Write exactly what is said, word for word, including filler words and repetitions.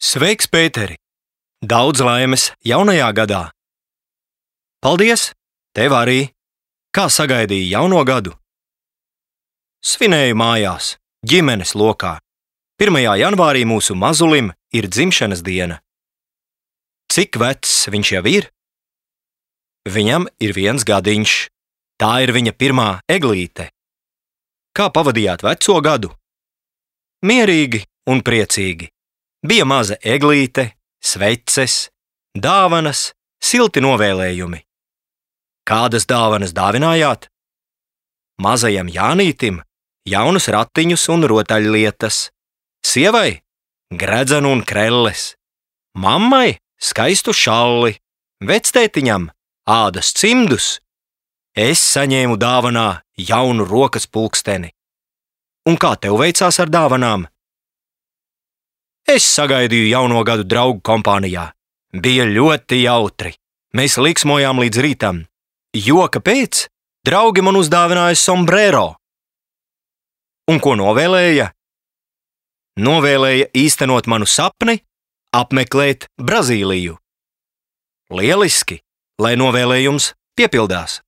Sveiks, Pēteri! Daudz laimes jaunajā gadā! Paldies! Tev arī! Kā sagaidīji jauno gadu? Svinēju mājās, ģimenes lokā. pirmajā janvārī mūsu mazulim ir dzimšanas diena. Cik vecs viņš jau ir? Viņam ir viens gadiņš. Tā ir viņa pirmā eglīte. Kā pavadījāt veco gadu? Mierīgi un priecīgi. Bija maza eglīte, sveces, dāvanas, silti novēlējumi. Kādas dāvanas dāvinājāt? Mazajam Jānītim jaunus ratiņus un rotaļlietas, sievai gredzenu un krelles, mammai skaistu šalli, vectētiņam ādas cimdus. Es saņēmu dāvanā jaunu rokas pulksteni. Un kā tev veicās ar dāvanām? Es sagaidīju jauno gadu draugu kompānijā. Bija ļoti jautri. Mēs liksmojām līdz rītam. Jo kāpēc? Draugi man uzdāvināja sombrero. Un ko novēlēja? Novēlēja īstenot manu sapni, apmeklēt Brazīliju. Lieliski, lai novēlējums piepildās.